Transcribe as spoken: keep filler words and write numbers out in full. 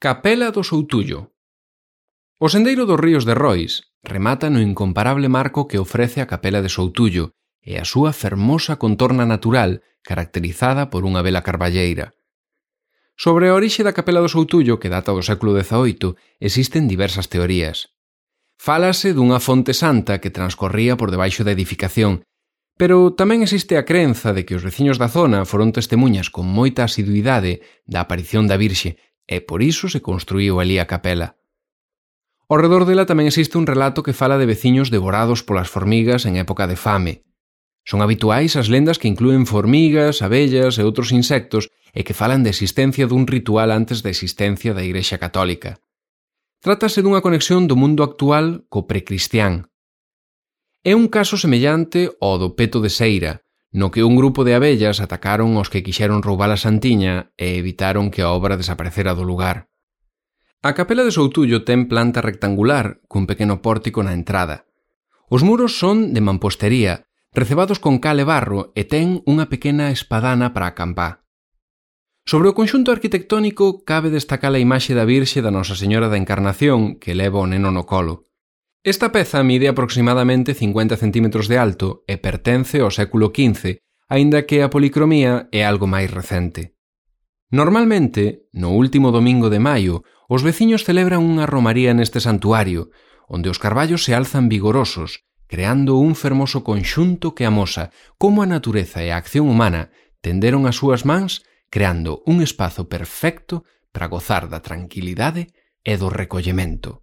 Capela do Soutullo. O sendeiro dos ríos de Rois remata no incomparable marco que ofrece a Capela de Soutullo e a súa fermosa contorna natural caracterizada por unha bela carballeira. Sobre a orixe da Capela do Soutullo, que data do século dezaoito, existen diversas teorías. Fálase dunha fonte santa que transcorría por debaixo da edificación, pero tamén existe a crenza de que os veciños da zona foron testemunhas con moita asiduidade da aparición da Virxe e por iso se construíu ali a capela. Ao redor dela tamén existe un relato que fala de veciños devorados polas formigas en época de fame. Son habituais as lendas que inclúen formigas, abellas e outros insectos e que falan da existencia dun ritual antes da existencia da Igrexa Católica. Trátase dunha conexión do mundo actual co precristián. É un caso semellante ao do peto de Seira, no que un grupo de abellas atacaron aos que quixeron roubar a santiña e evitaron que a obra desaparecera do lugar. A Capela de Soutullo ten planta rectangular cun pequeno pórtico na entrada. Os muros son de mampostería, recebados con cal e barro e ten unha pequena espadana para acampar. Sobre o conxunto arquitectónico cabe destacar a imaxe da Virxe da Nosa Señora da Encarnación que leva o neno no colo. Esta peza mide aproximadamente cincuenta centímetros de alto e pertence ao século quince, aínda que a policromía é algo máis recente. Normalmente, no último domingo de maio, os veciños celebran unha romaría neste santuario, onde os carballos se alzan vigorosos, creando un fermoso conxunto que amosa como a natureza e a acción humana tenderon as súas mans, creando un espazo perfecto para gozar da tranquilidade e do recollemento.